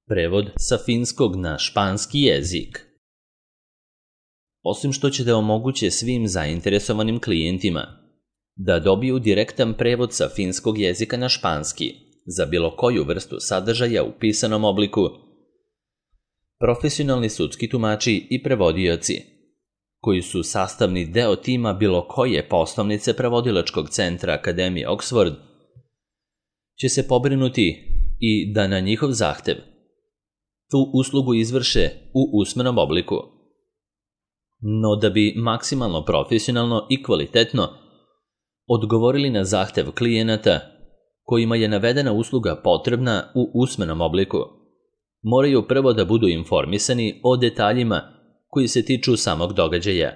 Prevod sa finskog na španski jezik. Osim što će da omoguće svim zainteresovanim klijentima da dobiju direktan prevod sa finskog jezika na španski za bilo koju vrstu sadržaja u pisanom obliku, profesionalni sudski tumači i prevodioci, koji su sastavni deo tima bilo koje poslovnice prevodilačkog centra Akademije Oxford, će se pobrinuti i da na njihov zahtev tu uslugu izvrše u usmenom obliku. No da bi maksimalno profesionalno i kvalitetno odgovorili na zahtev klijenata kojima je navedena usluga potrebna u usmenom obliku, moraju prvo da budu informisani o detaljima koji se tiču samog događaja.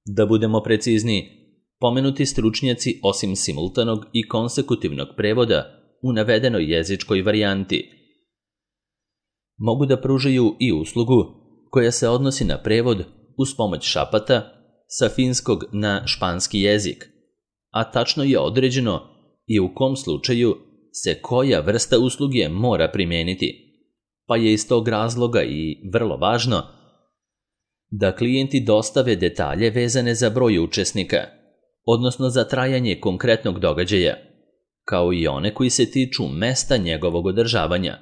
Da budemo precizni, pomenuti stručnjaci osim simultanog i konsekutivnog prevoda u navedenoj jezičkoj varijanti mogu da pružaju i uslugu koja se odnosi na prevod uz pomoć šapata sa finskog na španski jezik, a tačno je određeno i u kom slučaju se koja vrsta usluge mora primijeniti, pa je iz tog razloga i vrlo važno da klijenti dostave detalje vezane za broj učesnika, odnosno za trajanje konkretnog događaja, kao i one koji se tiču mesta njegovog održavanja,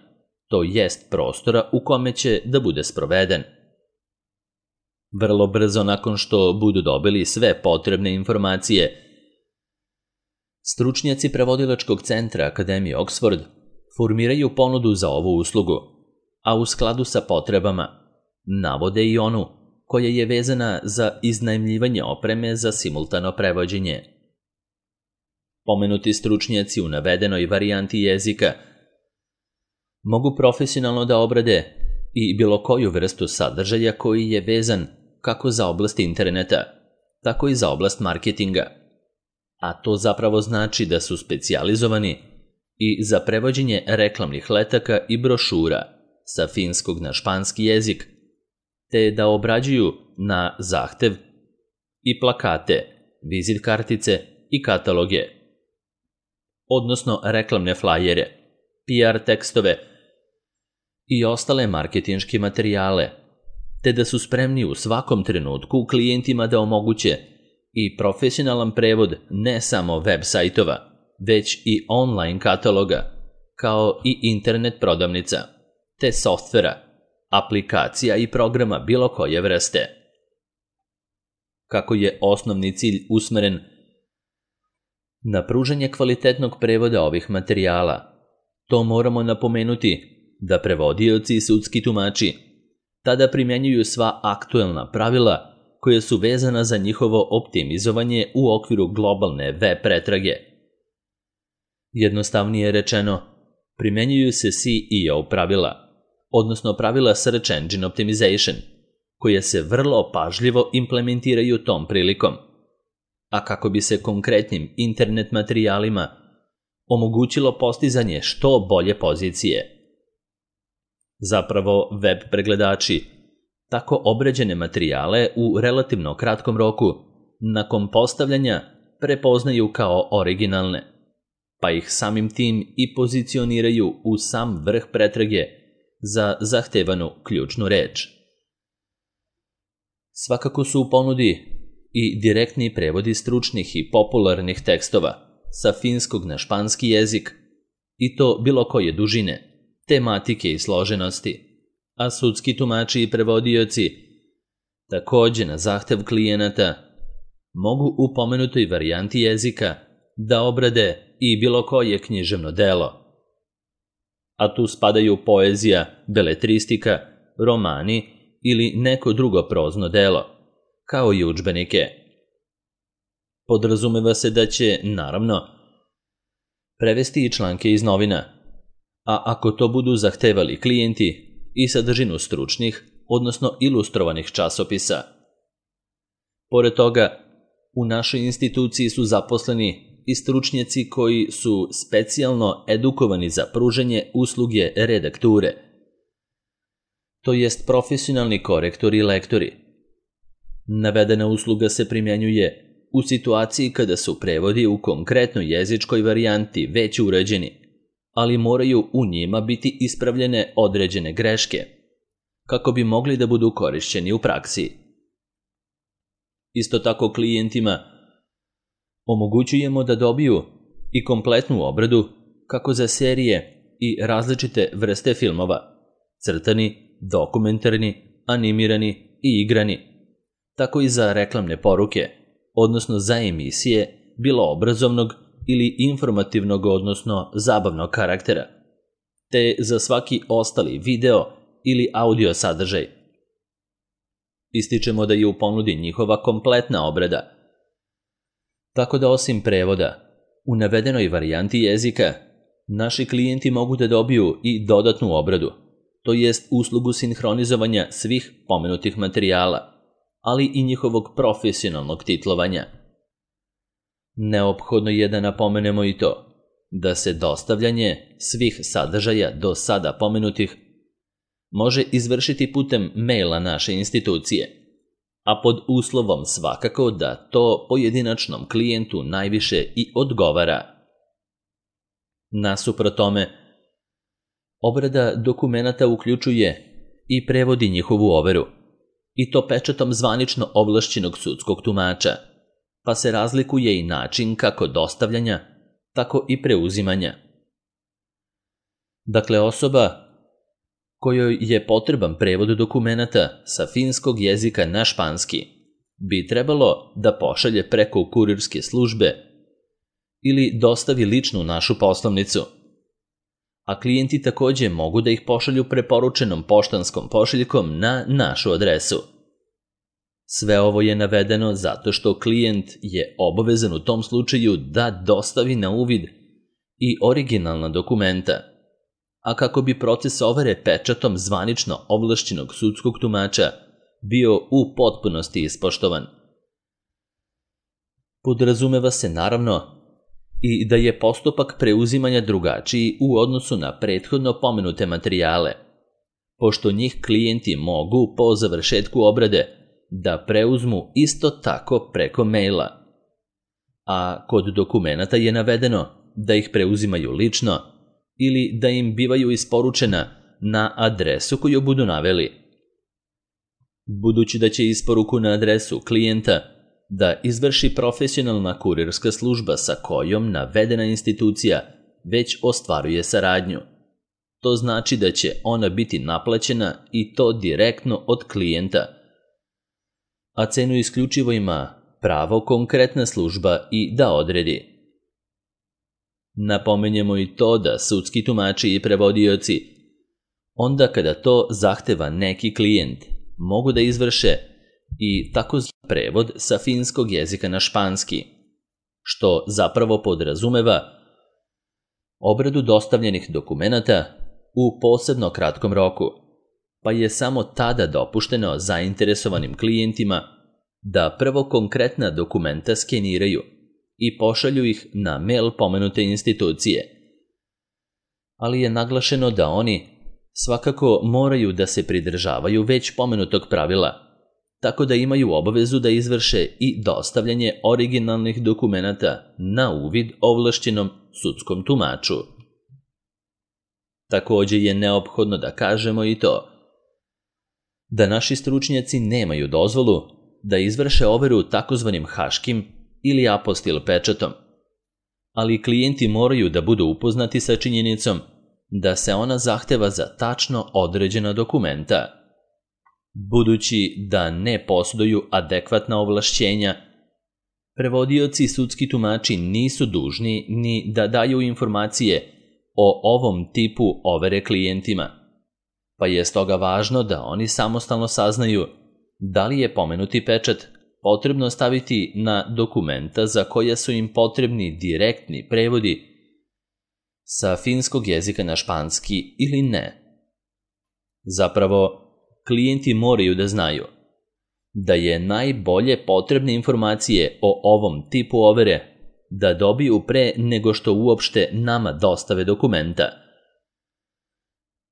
to jest prostora u kome će da bude sproveden. Vrlo brzo nakon što budu dobili sve potrebne informacije, stručnjaci prevodilačkog centra Akademije Oxford formiraju ponudu za ovu uslugu, a u skladu sa potrebama navode i onu koja je vezana za iznajmljivanje opreme za simultano prevođenje. Pomenuti stručnjaci u navedenoj varijanti jezika mogu profesionalno da obrade i bilo koju vrstu sadržaja koji je vezan kako za oblast interneta, tako i za oblast marketinga, a to zapravo znači da su specijalizovani i za prevođenje reklamnih letaka i brošura sa finskog na španski jezik, te da obrađuju na zahtev i plakate, vizit kartice i kataloge, odnosno reklamne flajere, PR tekstove i ostale marketinške materijale, te da su spremni u svakom trenutku klijentima da omoguće i profesionalan prevod ne samo web sajtova, već i online kataloga, kao i internet prodavnica, te softvera, aplikacija i programa bilo koje vrste. Kako je osnovni cilj usmeren na pružanje kvalitetnog prevoda ovih materijala, to moramo napomenuti da prevodioci i sudski tumači tada primjenjuju sva aktuelna pravila koja su vezana za njihovo optimizovanje u okviru globalne web pretrage. Jednostavnije rečeno, primjenjuju se SEO pravila, odnosno pravila Search Engine Optimization, koja se vrlo pažljivo implementiraju tom prilikom, a kako bi se konkretnim internet materijalima omogućilo postizanje što bolje pozicije. Zapravo, web pregledači tako obrađene materijale u relativno kratkom roku nakon postavljanja prepoznaju kao originalne, pa ih samim tim i pozicioniraju u sam vrh pretrage za zahtevanu ključnu reč. Svakako su u ponudi i direktni prevodi stručnih i popularnih tekstova sa finskog na španski jezik, i to bilo koje dužine, tematike i složenosti, a sudski tumači i prevodioci takođe na zahtev klijenata mogu u pomenutoj varijanti jezika da obrade i bilo koje književno delo. A tu spadaju poezija, beletristika, romani ili neko drugo prozno delo, kao i udžbenike. Podrazumeva se da će, naravno, prevesti i članke iz novina, a ako to budu zahtevali klijenti, i sadržinu stručnih, odnosno ilustrovanih časopisa. Pored toga, u našoj instituciji su zaposleni i stručnjaci koji su specijalno edukovani za pružanje usluge redakture, to jest profesionalni korektori i lektori. Navedena usluga se primjenjuje u situaciji kada su prevodi u konkretnoj jezičkoj varijanti već urađeni, ali moraju u njima biti ispravljene određene greške, kako bi mogli da budu korišćeni u praksi. Isto tako klijentima omogućujemo da dobiju i kompletnu obradu kako za serije i različite vrste filmova, crtani, dokumentarni, animirani i igrani, tako i za reklamne poruke, odnosno za emisije, bilo obrazovnog ili informativnog, odnosno zabavnog karaktera, te za svaki ostali video ili audio sadržaj. Ističemo da je u ponudi njihova kompletna obrada, tako da osim prevoda, u navedenoj varijanti jezika, naši klijenti mogu da dobiju i dodatnu obradu, to jest uslugu sinhronizovanja svih pomenutih materijala, ali i njihovog profesionalnog titlovanja. Neophodno je da napomenemo i to, da se dostavljanje svih sadržaja do sada pomenutih može izvršiti putem maila naše institucije, a pod uslovom svakako da to pojedinačnom klijentu najviše i odgovara. Nasuprot tome, obrada dokumenata uključuje i prevodi njihovu overu, i to pečatom zvanično ovlašćenog sudskog tumača, pa se razlikuje i način kako dostavljanja, tako i preuzimanja. Dakle, osoba kojoj je potreban prevod dokumenata sa finskog jezika na španski bi trebalo da pošalje preko kurirske službe ili dostavi ličnu našu poslovnicu, a klijenti takođe mogu da ih pošalju preporučenom poštanskom pošiljkom na našu adresu. Sve ovo je navedeno zato što klijent je obavezan u tom slučaju da dostavi na uvid i originalna dokumenta, a kako bi proces overe pečatom zvanično ovlašćenog sudskog tumača bio u potpunosti ispoštovan. Podrazumeva se naravno i da je postupak preuzimanja drugačiji u odnosu na prethodno pomenute materijale, pošto njih klijenti mogu po završetku obrade da preuzmu isto tako preko maila, a kod dokumenata je navedeno da ih preuzimaju lično ili da im bivaju isporučena na adresu koju budu naveli. Budući da će isporuku na adresu klijenta da izvrši profesionalna kurirska služba sa kojom navedena institucija već ostvaruje saradnju, to znači da će ona biti naplaćena i to direktno od klijenta, a cenu isključivo ima pravo konkretna služba i da odredi. Napomenjemo i to da sudski tumači i prevodioci, onda kada to zahteva neki klijent, mogu da izvrše i takozvani prevod sa finskog jezika na španski, što zapravo podrazumeva obradu dostavljenih dokumenata u posebno kratkom roku, pa je samo tada dopušteno zainteresovanim klijentima da prvo konkretna dokumenta skeniraju i pošalju ih na mail pomenute institucije. Ali je naglašeno da oni svakako moraju da se pridržavaju već pomenutog pravila, tako da imaju obavezu da izvrše i dostavljanje originalnih dokumenata na uvid ovlašćenom sudskom tumaču. Takođe je neophodno da kažemo i to da naši stručnjaci nemaju dozvolu da izvrše overu takozvanim haškim ili apostil pečatom, ali klijenti moraju da budu upoznati sa činjenicom da se ona zahteva za tačno određena dokumenta. Budući da ne posjeduju adekvatna ovlašćenja, prevodioci i sudski tumači nisu dužni ni da daju informacije o ovom tipu overe klijentima, pa je stoga važno da oni samostalno saznaju da li je pomenuti pečat potrebno staviti na dokumenta za koja su im potrebni direktni prevodi sa finskog jezika na španski ili ne. Zapravo, klijenti moraju da znaju da je najbolje potrebne informacije o ovom tipu overe da dobiju pre nego što uopšte nama dostave dokumenta,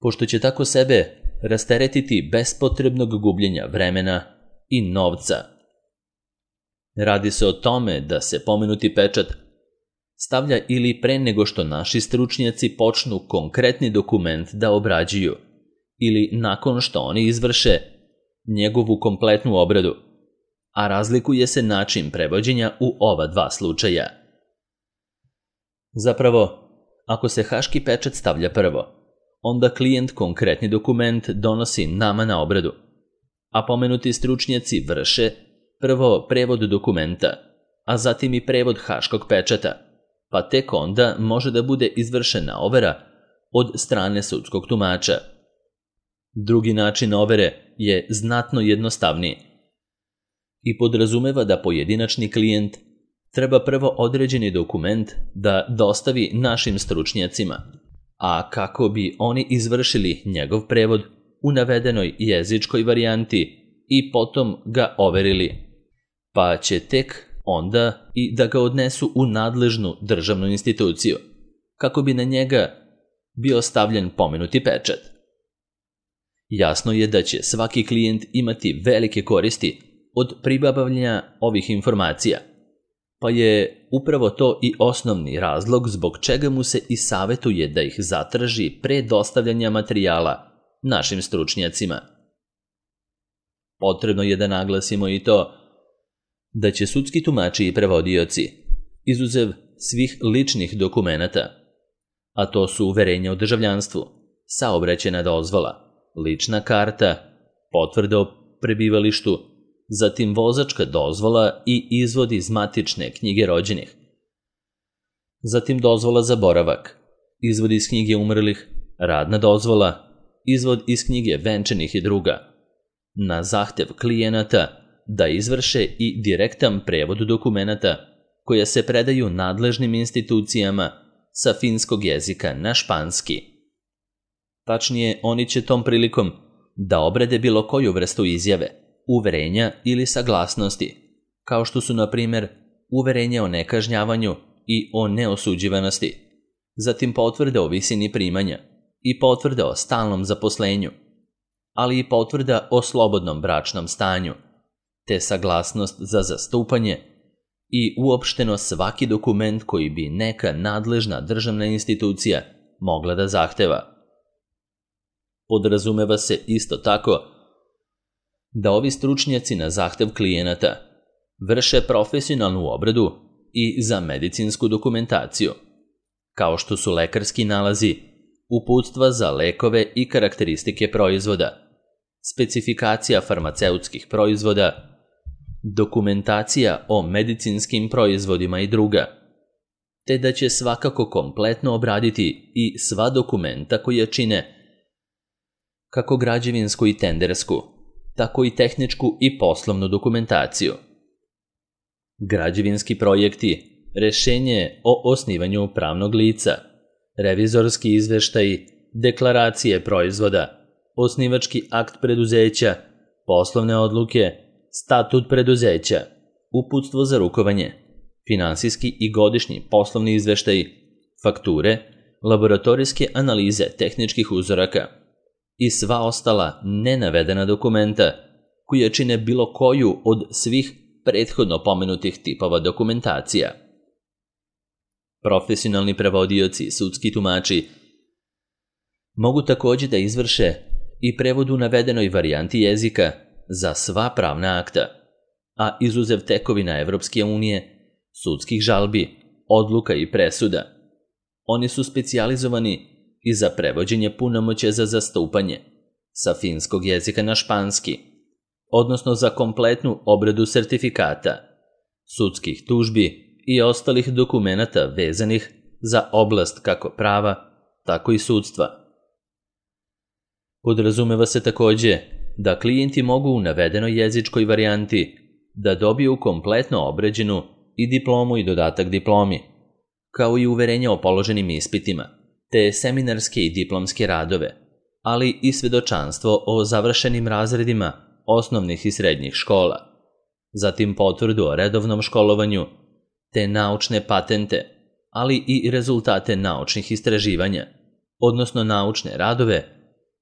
pošto će tako sebe rasteretiti bespotrebnog gubljenja vremena i novca. Radi se o tome da se pomenuti pečat stavlja ili pre nego što naši stručnjaci počnu konkretni dokument da obrađuju, ili nakon što oni izvrše njegovu kompletnu obradu, a razlikuje se način prevođenja u ova dva slučaja. Zapravo, ako se haški pečat stavlja prvo, onda klijent konkretni dokument donosi nama na obradu, a pomenuti stručnjaci vrše prvo prevod dokumenta, a zatim i prevod haškog pečata, pa tek onda može da bude izvršena overa od strane sudskog tumača. Drugi način overe je znatno jednostavniji i podrazumeva da pojedinačni klijent treba prvo određeni dokument da dostavi našim stručnjacima, a kako bi oni izvršili njegov prevod u navedenoj jezičkoj varijanti i potom ga overili, pa će tek onda i da ga odnesu u nadležnu državnu instituciju, kako bi na njega bio stavljen pomenuti pečat. Jasno je da će svaki klijent imati velike koristi od pribavljanja ovih informacija, pa je upravo to i osnovni razlog zbog čega mu se i savetuje da ih zatraži pre dostavljanja materijala našim stručnjacima. Potrebno je da naglasimo i to da će sudski tumači i prevodioci, izuzev svih ličnih dokumenata, a to su uverenja o državljanstvu, saobraćajna dozvola, lična karta, potvrda o prebivalištu, zatim vozačka dozvola i izvod iz matične knjige rođenih, zatim dozvola za boravak, izvod iz knjige umrlih, radna dozvola, izvod iz knjige venčanih i druga, na zahtev klijenata da izvrše i direktan prevod dokumenata koja se predaju nadležnim institucijama sa finskog jezika na španski. Tačnije, oni će tom prilikom da obrade bilo koju vrstu izjave, uverenja ili saglasnosti, kao što su, na primjer, uverenje o nekažnjavanju i o neosuđivanosti, zatim potvrde o visini primanja i potvrde o stalnom zaposlenju, ali i potvrda o slobodnom bračnom stanju, te saglasnost za zastupanje i uopšteno svaki dokument koji bi neka nadležna državna institucija mogla da zahteva. Podrazumeva se isto tako da ovi stručnjaci na zahtev klijenata vrše profesionalnu obradu i za medicinsku dokumentaciju, kao što su lekarski nalazi, uputstva za lekove i karakteristike proizvoda, specifikacija farmaceutskih proizvoda, dokumentacija o medicinskim proizvodima i druga, te da će svakako kompletno obraditi i sva dokumenta koja čine kako građevinsku i tendersku, tako i tehničku i poslovnu dokumentaciju. Građevinski projekti, rešenje o osnivanju pravnog lica, revizorski izveštaji, deklaracije proizvoda, osnivački akt preduzeća, poslovne odluke, statut preduzeća, uputstvo za rukovanje, finansijski i godišnji poslovni izveštaji, fakture, laboratorijske analize tehničkih uzoraka i sva ostala nenavedena dokumenta koja čine bilo koju od svih prethodno pomenutih tipova dokumentacija. Profesionalni prevodioci i sudski tumači mogu takođe da izvrše i prevod u navedenoj varijanti jezika za sva pravna akta, a izuzev tekovina Evropske unije, sudskih žalbi, odluka i presuda. Oni su specijalizovani i za prevođenje punomoćja za zastupanje sa finskog jezika na španski, odnosno za kompletnu obradu sertifikata, sudskih tužbi i ostalih dokumenata vezanih za oblast kako prava, tako i sudstva. Podrazumeva se takođe da klijenti mogu u navedenoj jezičkoj varijanti da dobiju kompletno obrađenu i diplomu i dodatak diplomi, kao i uverenja o položenim ispitima, te seminarske i diplomske radove, ali i svedočanstvo o završenim razredima osnovnih i srednjih škola, zatim potvrdu o redovnom školovanju, te naučne patente, ali i rezultate naučnih istraživanja, odnosno naučne radove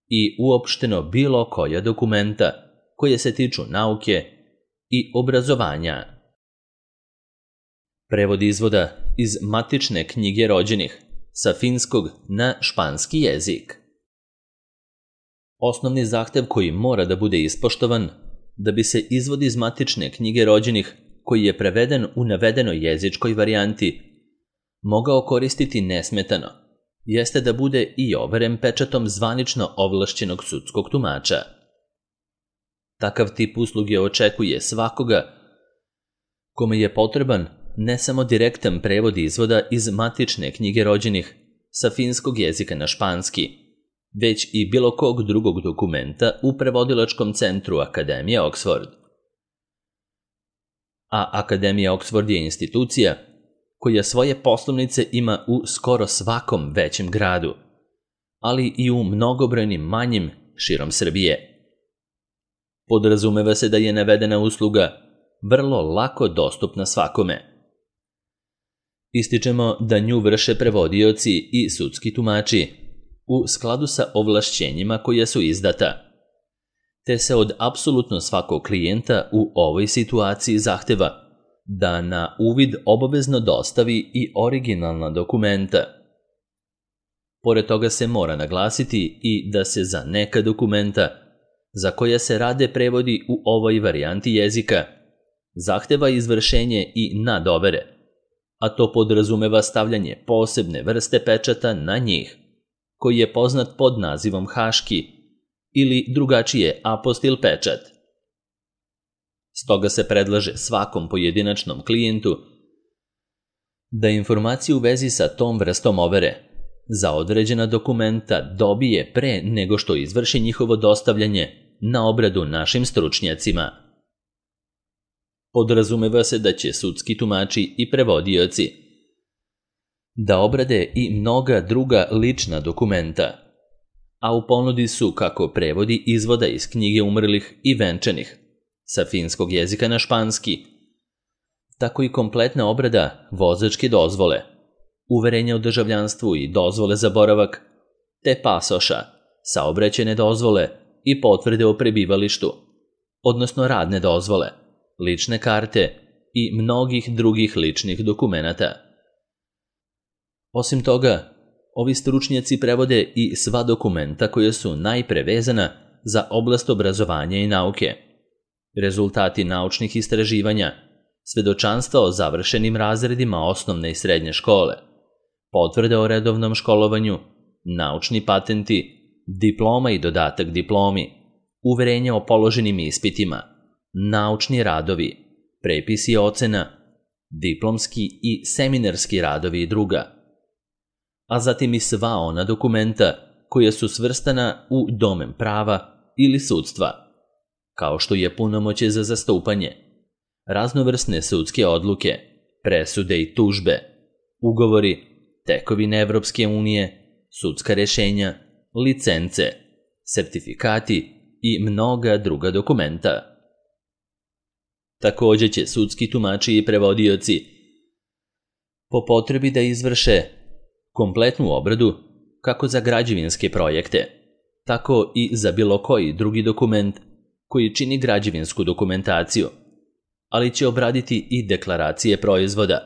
i uopšteno bilo koja dokumenta koje se tiču nauke i obrazovanja. Prevod izvoda iz matične knjige rođenih sa finskog na španski jezik. Osnovni zahtev koji mora da bude ispoštovan da bi se izvod iz matične knjige rođenih koji je preveden u navedenoj jezičkoj varijanti mogao koristiti nesmetano, jeste da bude i overen pečatom zvanično ovlašćenog sudskog tumača. Takav tip usluge očekuje svakoga kome je potreban ne samo direktan prevod izvoda iz matične knjige rođenih sa finskog jezika na španski, već i bilo kog drugog dokumenta u prevodilačkom centru Akademije Oxford. A Akademija Oxford je institucija koja svoje poslovnice ima u skoro svakom većem gradu, ali i u mnogobrojnim manjim širom Srbije. Podrazumeva se da je navedena usluga vrlo lako dostupna svakome. Ističemo da nju vrše prevodioci i sudski tumači u skladu sa ovlašćenjima koja su izdata, te se od apsolutno svakog klijenta u ovoj situaciji zahteva da na uvid obavezno dostavi i originalna dokumenta. Pored toga se mora naglasiti i da se za neka dokumenta za koja se rade prevodi u ovoj varijanti jezika zahteva izvršenje i nadovere, a to podrazumeva stavljanje posebne vrste pečata na njih, koji je poznat pod nazivom haški ili drugačije apostil pečat. Stoga se predlaže svakom pojedinačnom klijentu da informaciju u vezi sa tom vrstom overe za određena dokumenta dobije pre nego što izvrši njihovo dostavljanje na obradu našim stručnjacima. Podrazumeva se da će sudski tumači i prevodioci da obrade i mnoga druga lična dokumenta, a u ponudi su kako prevodi izvoda iz knjige umrlih i venčanih sa finskog jezika na španski, tako i kompletna obrada vozačke dozvole, uverenja o državljanstvu i dozvole za boravak, te pasoša, saobraćajne dozvole i potvrde o prebivalištu, odnosno radne dozvole, lične karte i mnogih drugih ličnih dokumenata. Osim toga, ovi stručnjaci prevode i sva dokumenta koja su najpre vezana za oblast obrazovanja i nauke, rezultati naučnih istraživanja, svedočanstva o završenim razredima osnovne i srednje škole, potvrde o redovnom školovanju, naučni patenti, diploma i dodatak diplomi, uverenja o položenim ispitima, naučni radovi, prepisi ocena, diplomski i seminarski radovi i druga, a zatim i sva ona dokumenta koja su svrstana u domen prava ili sudstva, kao što je punomoćje za zastupanje, raznovrsne sudske odluke, presude i tužbe, ugovori, tekovine Evropske unije, sudska rešenja, licence, sertifikati i mnoga druga dokumenta. Također će sudski tumači i prevodioci po potrebi da izvrše kompletnu obradu kako za građevinske projekte, tako i za bilo koji drugi dokument koji čini građevinsku dokumentaciju, ali će obraditi i deklaracije proizvoda,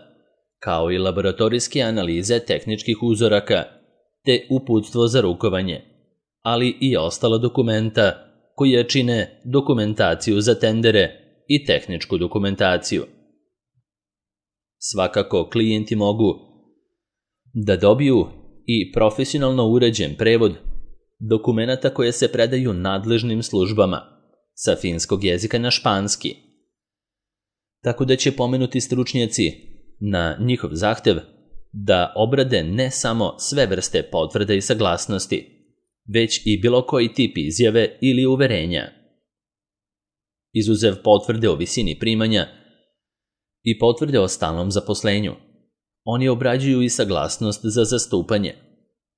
kao i laboratorijske analize tehničkih uzoraka, te uputstvo za rukovanje, ali i ostala dokumenta koja čine dokumentaciju za tendere i tehničku dokumentaciju. Svakako klijenti mogu da dobiju i profesionalno uređen prevod dokumenata koje se predaju nadležnim službama sa finskog jezika na španski, tako da će pomenuti stručnjaci na njihov zahtev da obrade ne samo sve vrste potvrda i saglasnosti, već i bilo koji tip izjave ili uverenja. Izuzev potvrde o visini primanja i potvrde o stalnom zaposlenju, oni obrađuju i saglasnost za zastupanje,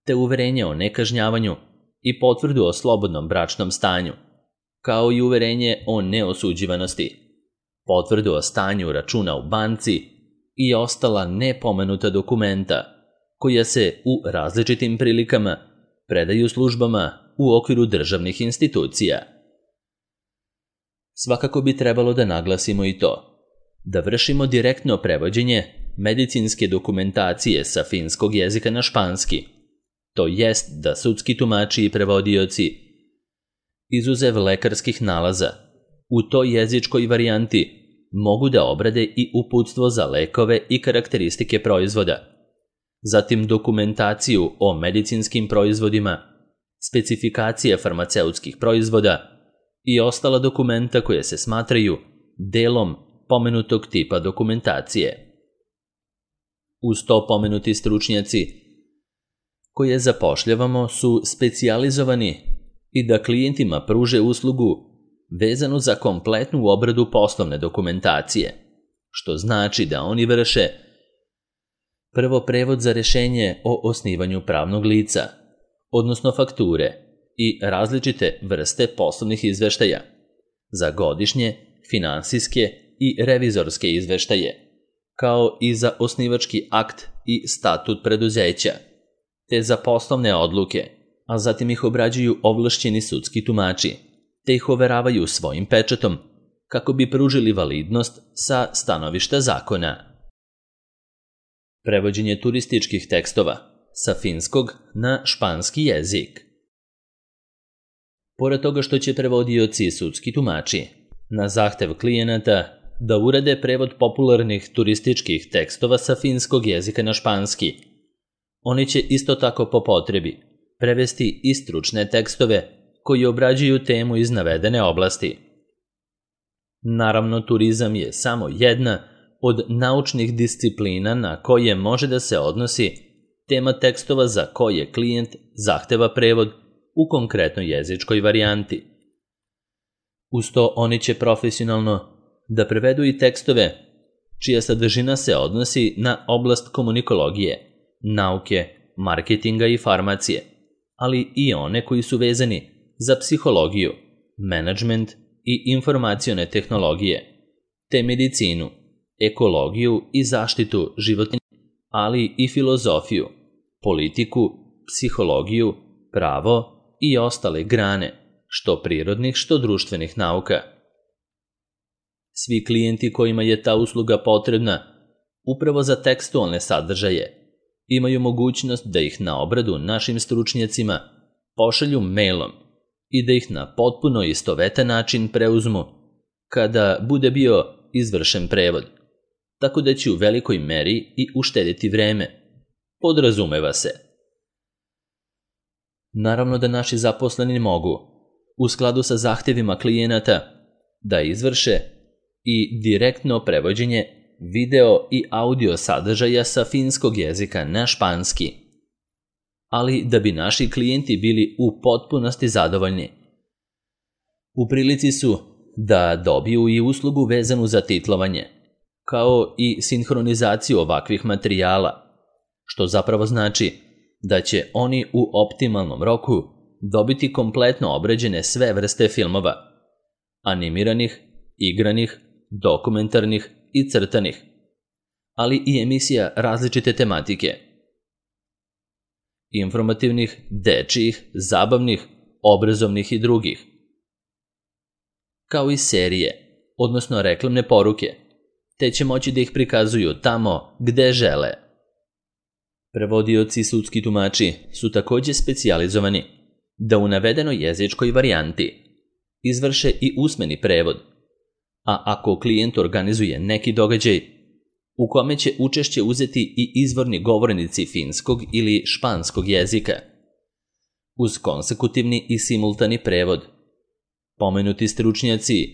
te uverenje o nekažnjavanju i potvrdu o slobodnom bračnom stanju, kao i uverenje o neosuđivanosti, potvrdu o stanju računa u banci i ostala nepomenuta dokumenta koja se u različitim prilikama predaju službama u okviru državnih institucija. Svakako bi trebalo da naglasimo i to, da vršimo direktno prevođenje medicinske dokumentacije sa finskog jezika na španski, to jest da sudski tumači i prevodioci, izuzev lekarskih nalaza, u toj jezičkoj varijanti mogu da obrade i uputstvo za lekove i karakteristike proizvoda, zatim dokumentaciju o medicinskim proizvodima, specifikacije farmaceutskih proizvoda i ostala dokumenta koje se smatraju delom pomenutog tipa dokumentacije. Uz to pomenuti stručnjaci koje zapošljavamo su specijalizovani i da klijentima pruže uslugu vezanu za kompletnu obradu poslovne dokumentacije, što znači da oni vrše prvo prevod za rešenje o osnivanju pravnog lica, odnosno fakture i različite vrste poslovnih izveštaja za godišnje, finansijske i revizorske izveštaje, kao i za osnivački akt i statut preduzeća, te za poslovne odluke, a zatim ih obrađuju ovlašćeni sudski tumači, te ih overavaju svojim pečatom kako bi pružili validnost sa stanovišta zakona. Prevođenje turističkih tekstova sa finskog na španski jezik. Pored toga što će prevodioci i sudski tumači na zahtev klijenata da urade prevod popularnih turističkih tekstova sa finskog jezika na španski, oni će isto tako po potrebi prevesti i stručne tekstove koji obrađuju temu iz navedene oblasti. Naravno, turizam je samo jedna od naučnih disciplina na koje može da se odnosi tema tekstova za koje klijent zahteva prevod u konkretnoj jezičkoj varijanti. Uz to oni će profesionalno da prevedu i tekstove čija sadržina se odnosi na oblast komunikologije, nauke, marketinga i farmacije, ali i one koji su vezani za psihologiju, menadžment i informacione tehnologije, te medicinu, ekologiju i zaštitu životinja, ali i filozofiju, politiku, psihologiju, pravo i ostale grane, što prirodnih, što društvenih nauka. Svi klijenti kojima je ta usluga potrebna upravo za tekstualne sadržaje imaju mogućnost da ih na obradu našim stručnjacima pošalju mailom i da ih na potpuno istovetan način preuzmu kada bude bio izvršen prevod, tako da će u velikoj meri i uštediti vreme. Podrazumeva se. Naravno da naši zaposleni mogu, u skladu sa zahtevima klijenata, da izvrše i direktno prevođenje video i audio sadržaja sa finskog jezika na španski, ali da bi naši klijenti bili u potpunosti zadovoljni. U prilici su da dobiju i uslugu vezanu za titlovanje, kao i sinhronizaciju ovakvih materijala, što zapravo znači da će oni u optimalnom roku dobiti kompletno obrađene sve vrste filmova, animiranih, igranih, dokumentarnih i crtanih, ali i emisija različite tematike, informativnih, dečijih, zabavnih, obrazovnih i drugih, kao i serije, odnosno reklamne poruke, te će moći da ih prikazuju tamo gde žele. Prevodioci i sudski tumači su takođe specijalizovani da u navedenoj jezičkoj varijanti izvrše i usmeni prevod, a ako klijent organizuje neki događaj u kome će učešće uzeti i izvorni govornici finskog ili španskog jezika, uz konsekutivni i simultani prevod, pomenuti stručnjaci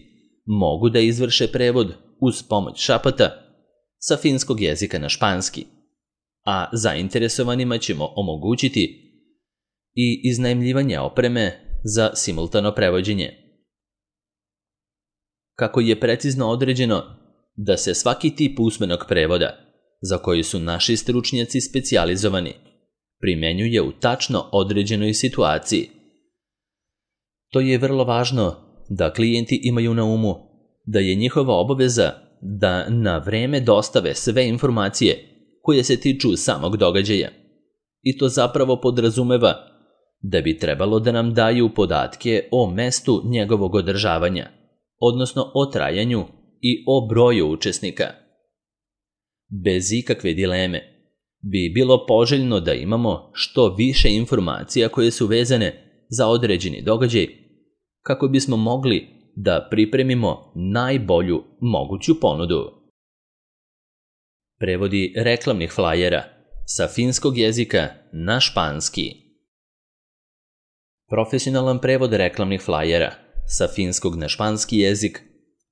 mogu da izvrše prevod uz pomoć šapata sa finskog jezika na španski, a zainteresovanima ćemo omogućiti i iznajmljivanje opreme za simultano prevođenje. Kako je precizno određeno da se svaki tip usmenog prevoda, za koji su naši stručnjaci specijalizovani, primenjuje u tačno određenoj situaciji. To je vrlo važno da klijenti imaju na umu da je njihova obaveza da na vreme dostave sve informacije koje se tiču samog događaja. I to zapravo podrazumeva da bi trebalo da nam daju podatke o mestu njegovog održavanja, odnosno o trajanju i o broju učesnika. Bez ikakve dileme bi bilo poželjno da imamo što više informacija koje su vezane za određeni događaj kako bismo mogli da pripremimo najbolju moguću ponudu. Prevodi reklamnih flajera sa finskog jezika na španski. Profesionalan prevod reklamnih flajera sa finskog na španski jezik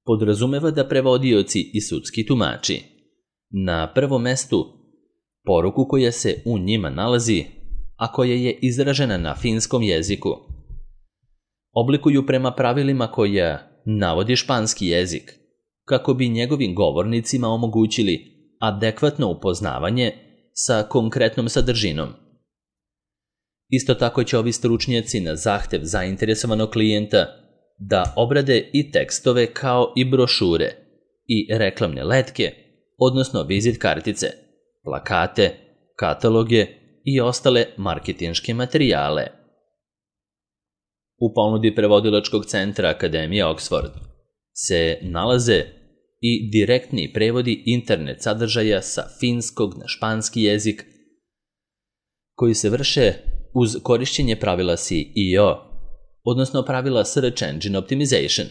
podrazumeva da prevodioci i sudski tumači na prvom mestu poruku koja se u njima nalazi, a koja je izražena na finskom jeziku, oblikuju prema pravilima koja navodi španski jezik, kako bi njegovim govornicima omogućili adekvatno upoznavanje sa konkretnom sadržinom. Isto tako će ovi stručnjaci na zahtev zainteresovanog klijenta da obrade i tekstove kao i brošure i reklamne letke, odnosno vizit kartice, plakate, kataloge i ostale marketinške materijale. U ponudi prevodilačkog centra Akademije Oxford se nalaze i direktni prevodi internet sadržaja sa finskog na španski jezik koji se vrše uz korišćenje pravila SEO, odnosno pravila Search Engine Optimization.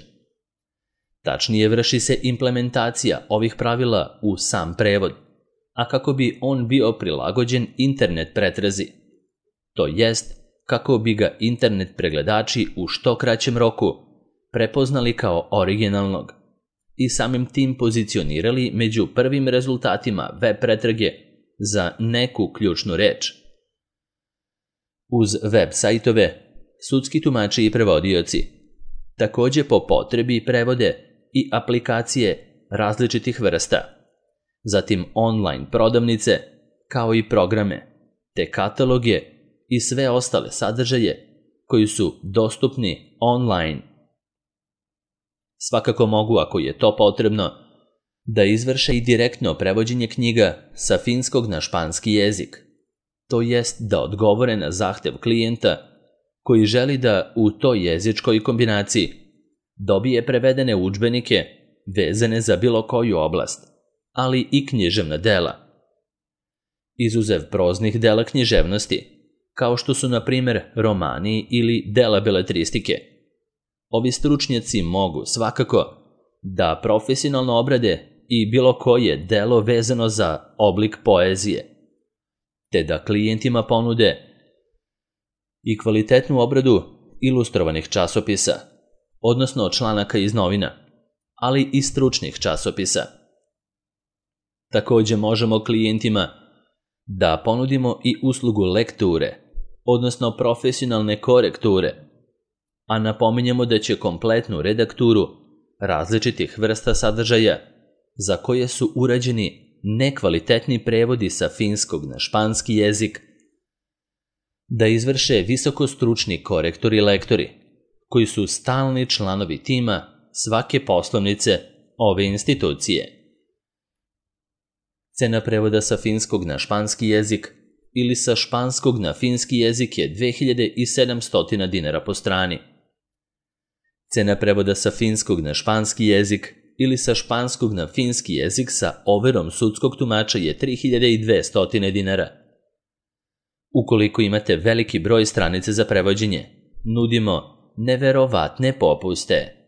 Tačnije, vrši se implementacija ovih pravila u sam prevod, a kako bi on bio prilagođen internet pretrazi, to jest kako bi ga internet pregledači u što kraćem roku prepoznali kao originalnog i samim tim pozicionirali među prvim rezultatima web pretrage za neku ključnu reč. Uz web sajtove, sudski tumači i prevodioci također po potrebi prevode i aplikacije različitih vrsta, zatim online prodavnice, kao i programe, te kataloge i sve ostale sadržaje koji su dostupni online. Svakako mogu, ako je to potrebno, da izvrše i direktno prevođenje knjiga sa finskog na španski jezik, to jest da odgovore na zahtev klijenta koji želi da u toj jezičkoj kombinaciji dobije prevedene udžbenike vezane za bilo koju oblast, ali i književna dela. Izuzev proznih dela književnosti, kao što su na primjer romani ili dela beletristike, ovi stručnjaci mogu svakako da profesionalno obrade i bilo koje delo vezano za oblik poezije, te da klijentima ponude i kvalitetnu obradu ilustrovanih časopisa, odnosno članaka iz novina, ali i stručnih časopisa. Također možemo klijentima da ponudimo i uslugu lekture, odnosno profesionalne korekture, a napominjemo da će kompletnu redakturu različitih vrsta sadržaja za koje su urađeni nekvalitetni prevodi sa finskog na španski jezik da izvrše visokostručni korektori i lektori, koji su stalni članovi tima svake poslovnice ove institucije. Cena prevoda sa finskog na španski jezik ili sa španskog na finski jezik je 2700 dinara po strani. Cena prevoda sa finskog na španski jezik ili sa španskog na finski jezik sa overom sudskog tumača je 3200 dinara. Ukoliko imate veliki broj stranice za prevođenje, nudimo neverovatne popuste.